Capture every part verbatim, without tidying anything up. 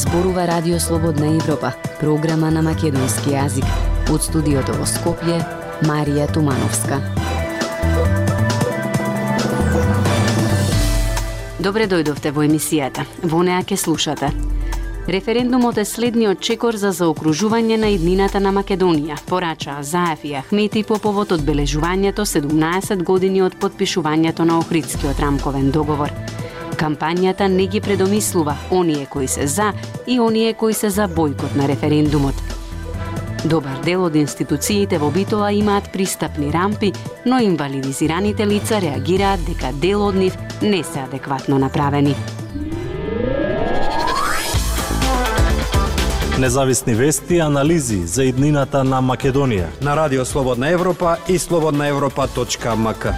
Зборува Радио Слободна Европа, програма на македонски јазик. Од студиото во Скопје, Марија Тумановска. Добре дојдовте во емисијата. Во неа ќе слушате. Референдумот е следниот чекор за заокружување на иднината на Македонија, порачаа Заев и Ахмети по повод одбележувањето седумнаесет години од подпишувањето на Охридскиот рамковен договор. Кампањата не ги предомислува оние кои се за и оние кои се за бојкот на референдумот. Добар дел од институциите во Битола имаат пристапни рампи, но инвалидизираните лица реагираат дека дел од нив не се адекватно направени. Независни вести и анализи за иднината на Македонија на Радио Слободна Европа и слободна европа точка ем ка.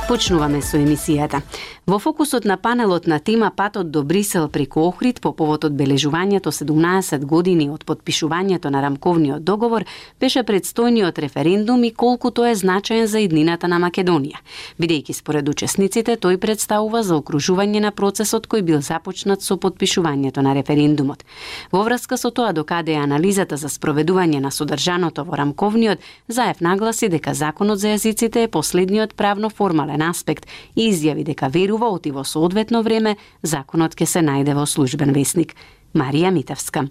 Почнуваме со емисијата. Во фокусот на панелот на тема Патот до Брисел преку Охрид по повод одбележувањето седумнаесет години од подпишувањето на рамковниот договор беше предстојниот референдум и колку тој е значаен за иднината на Македонија. Бидејќи според учесниците тој представува заокружување на процесот кој бил започнат со подпишувањето на референдумот. Во врска со тоа докаде е анализата за спроведување на содржаното во рамковниот, Заев нагласи дека законот за јазиците е последниот правно формален аспект и изјави дека верува оти во соодветно време законот ќе се најде во службен весник. Марија Митевска.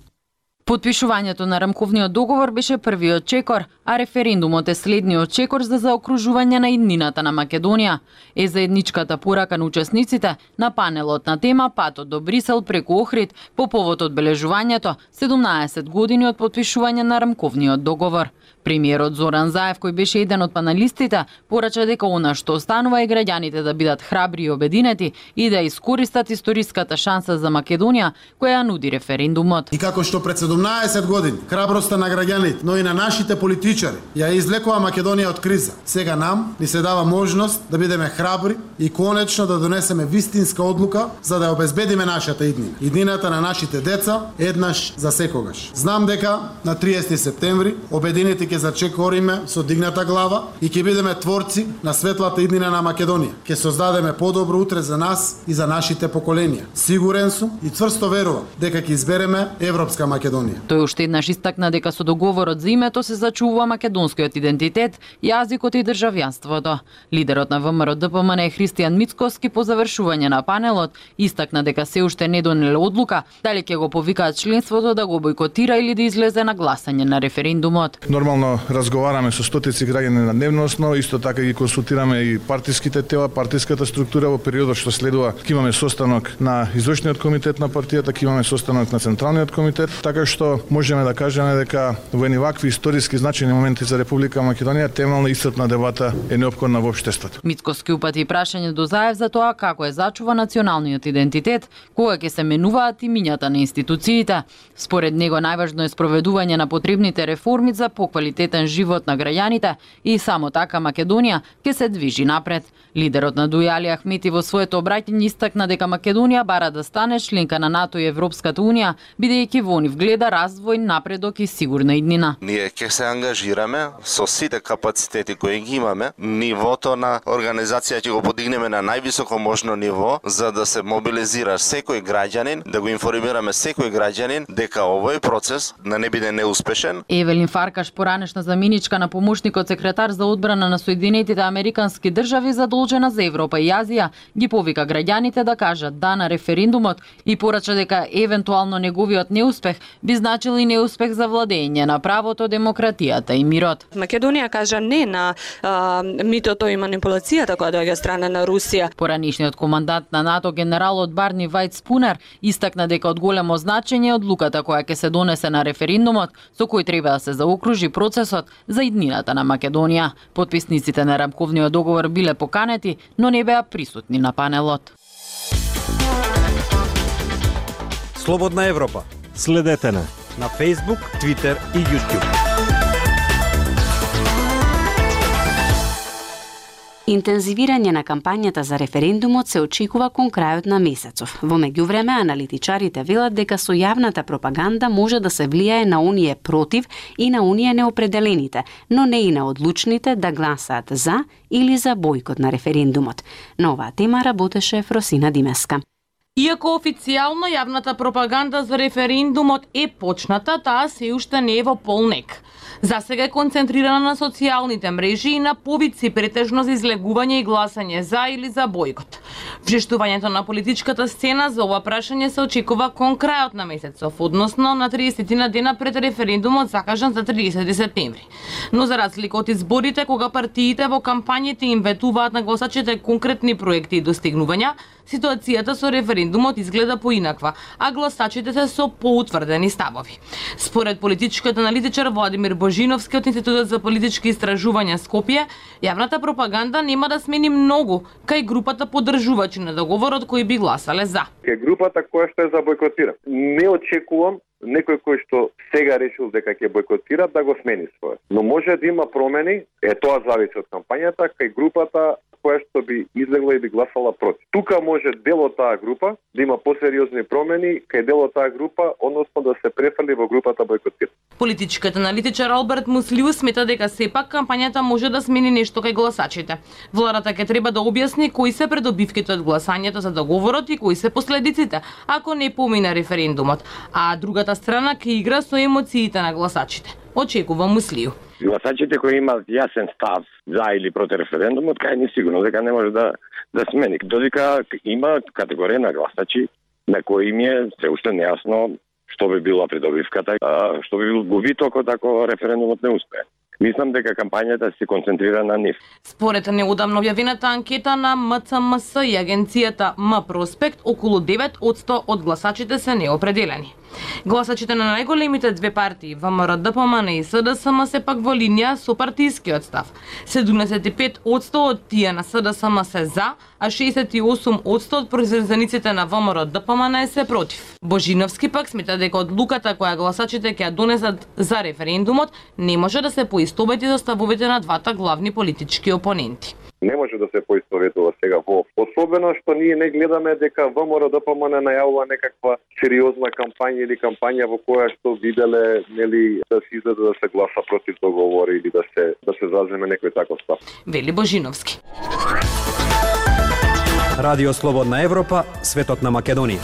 Подпишувањето на рамковниот договор беше првиот чекор, а референдумот е следниот чекор за заокружување на иднината на Македонија. Е заедничката порака на учесниците на панелот на тема Патот до Брисел преку Охрид по повод одбележувањето седумнаесет години од подпишување на рамковниот договор. Премиерот Зоран Заев, кој беше еден од паналистите, порача дека она што останува е граѓаните да бидат храбри и обединети и да искористат историската шанса за Македонија која ја нуди референдумот. И како што пред седумнаесет години храброста на граѓаните, но и на нашите политичари ја извлекува Македонија од криза. Сега нам ни се дава можност да бидеме храбри и конечно да донесеме вистинска одлука за да ја обезбедиме нашата иднина. Иднината на нашите деца еднаш за секогаш. Знам дека на триесети септември обединети ќе зачекориме со дигната глава и ќе бидеме творци на светлата иднина на Македонија. Ќе создадеме подобро утре за нас и за нашите поколенија. Сигурен сум и цврсто верувам дека ќе избереме европска Македонија. Тој уште еднаш истакна дека со договорот за името се зачувува македонскиот идентитет, јазикот и државјанството. Лидерот на ВМРО Д П М Н Христијан Мицкоски по завршување на панелот истакна дека се уште не донеле одлука дали ќе го повикаат членството да го бојкотира или да излезе на гласање на референдумот. Нормално разговараме со стотици граѓани на дневно основа, исто така ги консултираме и партиските тела, партиската структура. Во периодот што следува ќе имаме состанок на извршниот комитет на партијата, ќе имаме состанок на централниот комитет, така што можеме да кажеме дека во едни вакви историски значајни моменти за Република Македонија темелна исцрпна дебата е неопходна во општеството. Мицкоски упати прашање до Заев за тоа како е зачува националниот идентитет, кога ќе се менуваат имињата на институциите. Според него најважно е спроведување на потребните реформи за поквалитетен живот на граѓаните и само така Македонија ќе се движи напред. Лидерот на Дујали Ахмети во своето обраќање истакна дека Македонија бара да стане членка на НАТО и Европската унија, бидејќи во нив гледа развој, напредок и сигурна иднина. Ние ќе се ангажираме со сите капацитети кои ги имаме, нивото на организација ќе го подигнеме на највисоко можно ниво за да се мобилизира секој граѓанин, да го информираме секој граѓанин дека овој процес да не биде неуспешен. Евелин Фаркаш, поранешна заменичка на помошникот секретар за одбрана на Соединетите Американски држави задолжена за Европа и Азија, ги повика граѓаните да кажат да на референдумот и порача дека евентуално неговиот неуспех би значил и неуспех за владење на правото, демократијата и мирот. Македонија кажа не на а, митото и манипулацијата која доаѓа страна на Русија. Поранишниот командант на НАТО генералот Барни Вајт Спунер истакна дека од големо значење одлуката која ќе се донесе на референдумот со кој треба да се заокружи процесот за иднината на Македонија. Потписниците на рамковниот договор биле поканети, но не беа присутни на панелот. Слободна Европа. Следете на на Facebook, Twitter и YouTube. Интензивирање на кампањата за референдумот се очекува кон крајот на месецов. Во меѓувреме, аналитичарите велат дека со јавната пропаганда може да се влијае на оние против и на оние неопределените, но не и на одлучните да гласаат за или за бојкот на референдумот. На оваа тема работеше Фросина Димеска. Иако официјално јавната пропаганда за референдумот е почната, таа се уште не е во полнек. Засега е концентрирана на социјалните мрежи и на повици претежно за излегување и гласање за или за бојкот. Вжештувањето на политичката сцена за ова прашање се очекува кон крајот на месецов, односно на триесет дена пред референдумот закажан за триесети септември. Но за разлика од изборите, кога партиите во кампањите им ветуваат на гласачите конкретни проекти и достигнувања, ситуацијата со референдумот изгледа поинаква, а гласачите се со поутврдени ставови. Според политичкиот аналитичар Владимир Божиновски од Институтот за политички истражувања Скопје, јавната пропаганда нема да смени многу кај групата поддржувачи на договорот кои би гласале за. Кај групата која што е за бойкотира. Не очекувам некој кој што сега решил дека ќе бойкотира да го смени својот. Но може да има промени, е тоа зависи од кампањата, кај групата која што би излегла и би гласала против. Тука може дел од таа група да има посериозни промени, кај дел од таа група, односно да се префрли во групата бойкотира. Политичкиот аналитичар Алберт Муслиу смета дека сепак кампањата може да смени нешто кај гласачите. Владата ќе треба да објасни кои се придобивките од гласањето за договорот и кои се последиците ако не помине референдумот, а другата страна ќе игра со емоциите на гласачите. Очекува Муслиу. Гласачите кои имаат јасен став за или против референдумот, кај ни сигурно дека не може да да смени. Додека има категорија на гласачи на кои им е се уште нејасно што би била придобивката, а што би бил губитокот ако референдумот не успее. Мислам дека кампањата се концентрира на нив. Според неодамно објавената анкета на М Ц М С и агенцијата М Проспект, околу девет одсто од гласачите се неопределени. Гласачите на најголемите две партии, В М Р Д П М Н и С Д С М се пак во линија со партискиот став. седумдесет и пет одсто од тие на С Д С М се за, а шеесет и осум одсто од произведениците на В М Р Д П М Н се против. Божиновски пак смета дека одлуката која гласачите ќе ја донесат за референдумот не може да се поистовети со ставовите на двата главни политички опоненти. Не може да се поистоветува сега во. Особено што ние не гледаме дека В М Р Д П М Н најавува некаква сериозна кампања или кампања во која што виделе нели да се излезе да се гласа против договор или да се да се заземе некој таков став. Вели Божиновски. Радио Слободна Европа, светот на Македонија.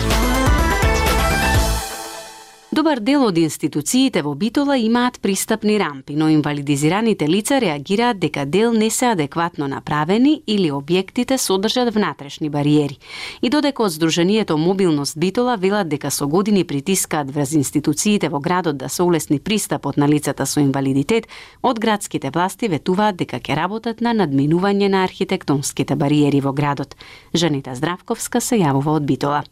Добар дел од институциите во Битола имаат пристапни рампи, но инвалидизираните лица реагираат дека дел не се адекватно направени или објектите содржат внатрешни бариери. И додека од Сдруженијето Мобилност Битола велат дека со години притискаат врз институциите во градот да се улесни пристапот на лицата со инвалидитет, од градските власти ветуваат дека ќе работат на надминување на архитектонските бариери во градот. Жанита Здравковска се јавува од Битола.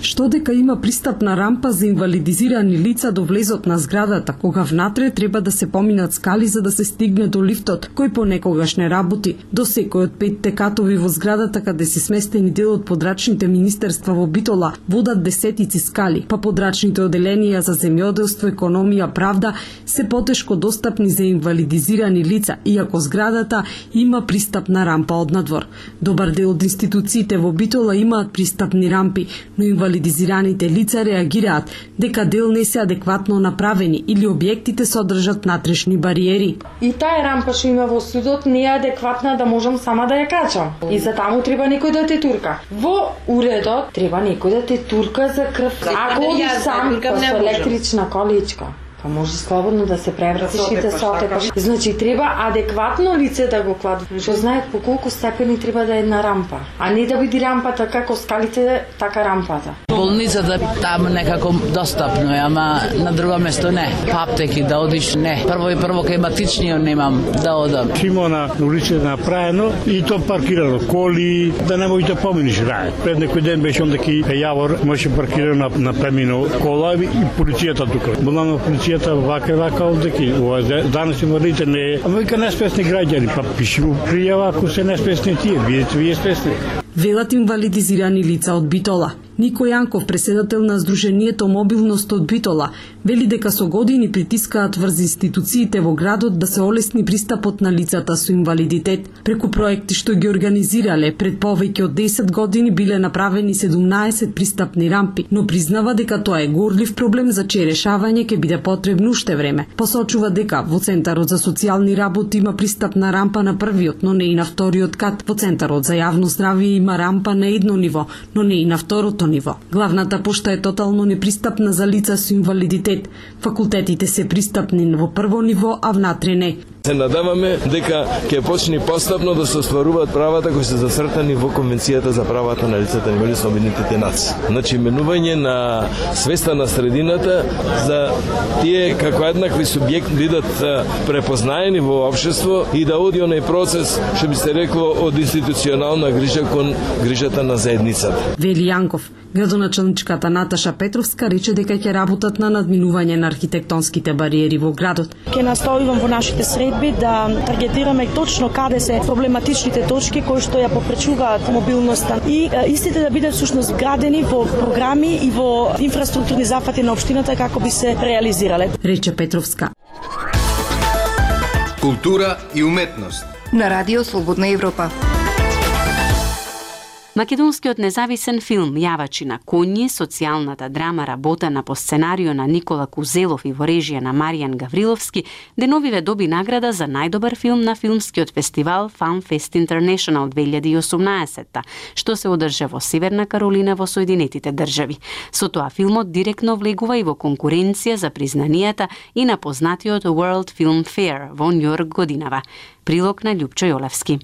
Што дека има пристапна рампа за инвалидизирани лица до влезот на зградата, кога внатре треба да се поминат скали за да се стигне до лифтот, кој понекогаш не работи. До секој од петте катови во зградата каде се сместени дел од подрачните министерства во Битола водат десетици скали, па подрачните оделенија за земјоделство, економија, правда се потешко достапни за инвалидизирани лица, иако зградата има пристапна рампа од надвор. Добар дел од институциите во Битола имаат пристапни рампи, но инвалидизираните лица реагираат дека дел не се адекватно направени или објектите содржат натрешни бариери. И таа рампа што има во судот не е адекватна да можам сама да ја качам. И за таму треба некој да те турка. Во уредот треба некој да те турка за крв. Ако одиш сам со електрична количка, па може слободно да се превратиш и да се отекаш. Значи треба адекватно лице да го клади. Што знаат по колку степени треба да е една рампа, а не да биде рампата како скалите, така рампата. Болницата таму некако достапно е, ама на друго место не. Па аптеки да одиш не. Прво и прво кај матичниот немам да одам. Има на улицата направено и то паркирано коли, да не можеш да поминиш рај. Пред некој ден беше онда ки Јавор може паркирано на, на премино кола и полицијата тука. Була на полицијата вака вака овдеки. Данас инвалидите не е. Ама вика неспесни граѓани, па пиши му пријава ако се неспесни тие, видите вие спесни. Велат инвалидизирани лица од Битола. Нико Јанков, преседател на Сдруженијето Мобилност од Битола, вели дека со години притискаат врз институциите во градот да се олесни пристапот на лицата со инвалидитет. Преку проекти што ги организирале, пред повеќе од десет години биле направени седумнаесет пристапни рампи, но признава дека тоа е горлив проблем за чие решавање ќе биде потребно уште време. Посочува дека во Центарот за социјални работи има пристапна рампа на првиот, но не и на вториот кат. Во Центарот за јавно здравје има рампа на едно ниво, но не и на второто ниво. Главната пошта е тотално непристапна за лица со инвалидитет. Факултетите се пристапни во прво ниво, а внатре не. Се надаваме дека ќе почне постапно да се остваруваат правата кои се зацртани во Конвенцијата за правата на лицата инвалиди со Обединетите нации. Значи менување на свеста на средината за тие како еднакви субјекти бидат препознаени во општество и да оди оној процес, што би се рекло, од институционална грижа кон грижата на заедницата. Вели Јанков, градоначалничката Наташа Петровска рече дека ќе работат на надминување на архитектонските бариери во градот. Ќе наставувам во нашите средби да таргетираме точно каде се проблематичните точки кои што ја попречуваат мобилноста и е, истите да бидат всушност градени во програми и во инфраструктурни зафати на општината како би се реализирале. Рече Петровска. Култура и уметност на Радио Слободна Европа. Македонскиот независен филм Јавачи на коњи, социјалната драма работена по сценарио на Никола Кузелов и во режија на Маријан Гавриловски, деновиве доби награда за најдобар филм на филмскиот фестивал FanFest International две илјади и осумнаесетта, што се одржа во Северна Каролина во Соединетите држави. Со тоа филмот директно влегува и во конкуренција за признанијата и на познатиот World Film Fair во Њујорк годинава. Прилог на Љупчо Јолевски.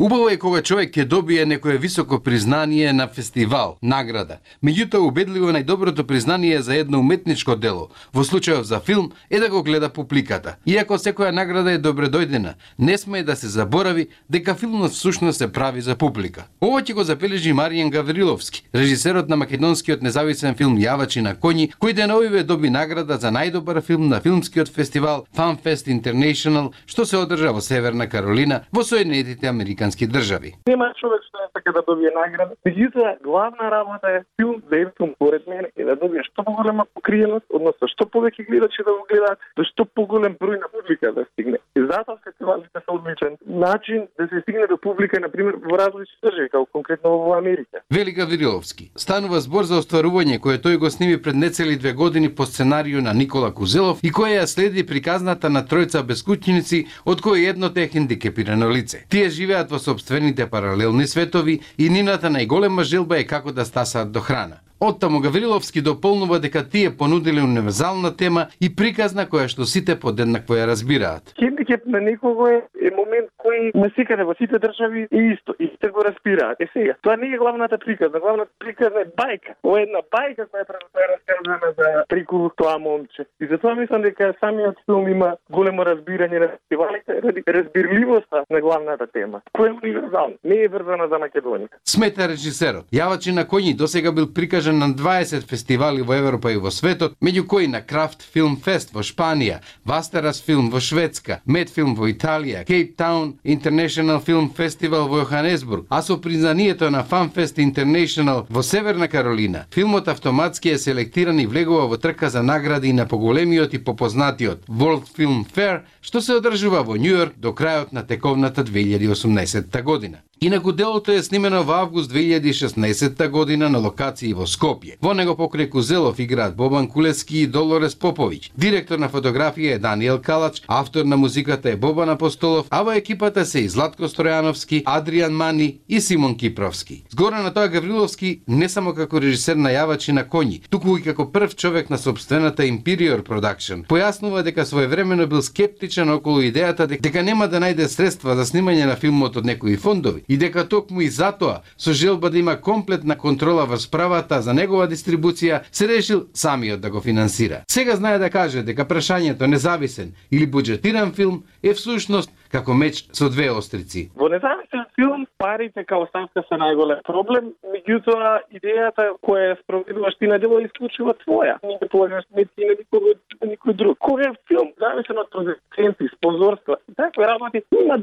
Убаво е кога човек ќе добие некое високо признание на фестивал, награда. Меѓутоа, убедливо најдоброто признание за едно уметничко дело, во случајов за филм, е да го гледа публиката. Иако секоја награда е добредојдена, не сме да се заборави дека филмот всушност се прави за публика. Ова ќе го забележи Маријан Гавриловски, режисерот на македонскиот независен филм Јавачи на коњи, кој деновиве доби награда за најдобар филм на филмскиот фестивал FanFest International, што се одржа во Северна Каролина, во Соединетите Американски држави. Нема човек што не сака да добие награда. Меѓутоа, главна работа е филм да е филм поред мене и да добие што поголема покриеност, односно што повеќе гледачи да го гледаат, до што поголем број на публика да стигне. И затоа фестивалите се одличен начин да се стигне до публика, на пример, во различни држави, како конкретно во Америка. Вели Гавриловски. Станува збор за остварување кое тој го сними пред нецели две години по сценарио на Никола Кузелов и која ја следи приказната на тројца бескуќеници, од кои едното е хендикепирано лице. Тие живеат во собствените паралелни светови и нината најголема желба е како да стасаат до храна. Оттаму Гавриловски дополнува дека тие понудиле универзална тема и приказна која што сите подеднакво ја разбираат. Хендикеп на некого е, е момент кој насекаде во сите држави е исто, и сите го разбираат. Е сега, тоа не е главната приказна, главната приказна е бајка. Ова е една бајка која е раскажана за преку тоа момче. И затоа мислам дека самиот филм има големо разбирање на фестивалите, ради разбирливоста на главната тема, која е универзална, не е врзана за Македонија. Смета режисерот. Јавачи на коњи досега бил прикажан на дваесет фестивали во Европа и во светот, меѓу кои на Крафт Филм Фест во Шпанија, Вастерас Филм во Шведска, Медфилм во Италија, Кейптаун International Film Festival во Јоханесбург, а со признанието на FanFest International во Северна Каролина, филмот автоматски е селектиран и влегува во трка за награди на поголемиот и попознатиот World Film Fair, што се одржува во Њујорк до крајот на тековната две илјади и осумнаесетта година. Инаку делото е снимено во август две илјади и шеснаесетта година на локации во Скопје. Во него покрај Кузелов играат Бобан Кулески и Долорес Поповиќ. Директор на фотографија е Даниел Калач, автор на музиката е Бобан Апостолов, а во екипата се и Златко Стројановски, Адријан Мани и Симон Кипровски. Згоре на тоа Гавриловски не само како режисер на Јавачи на коњи, туку и како прв човек на сопствената Imperior Production, појаснува дека своевремено бил скептичен околу идејата дека нема да најде средства за снимање на филмот од некои фондови и дека токму и затоа, со желба да има комплетна контрола врз правата за негова дистрибуција, се решил самиот да го финансира. Сега знае да каже дека прашањето независен или буџетиран филм е всушност како меч со две острици. Во независен филм парите као ставка се најголем проблем, меѓутоа идејата која ја спроведуваш ти на дело е исклучиво твоја. Не ќе полагаш сметки на никој, на никој друг. Кога е филм зависен од продуценти, спонзорства, такви работи има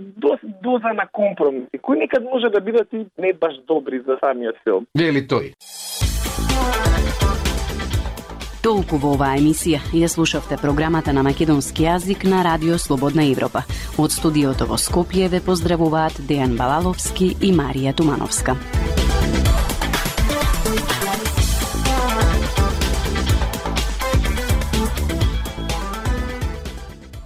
доза на компромиси, кои некад може да бидат и не баш добри за самиот филм. Вели тој. Толку во оваа емисија. Ја слушавте програмата на македонски јазик на Радио Слободна Европа. Од студиото во Скопје ве поздравуваат Дејан Балаловски и Марија Тумановска.